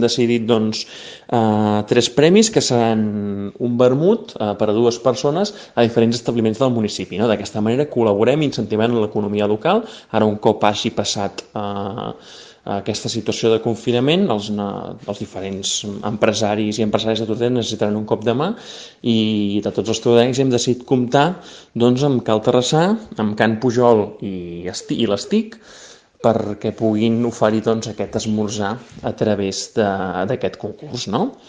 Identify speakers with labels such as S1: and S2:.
S1: hem decidit doncs, 3 premis que seran un vermut per a 2 persones a diferents establiments del municipi. No? D'aquesta manera col·laborem incentivant l'economia local. Ara, un cop hagi passat aquesta situació de confinament, els diferents empresaris i empresàries de Tortellà necessitaran un cop de mà i de tots els tordellencs hem decidit comptar doncs, amb Cal Terrassà, amb Can Pujol i l'Estic perquè puguin oferir doncs, aquest esmorzar a través d'aquest concurs. No?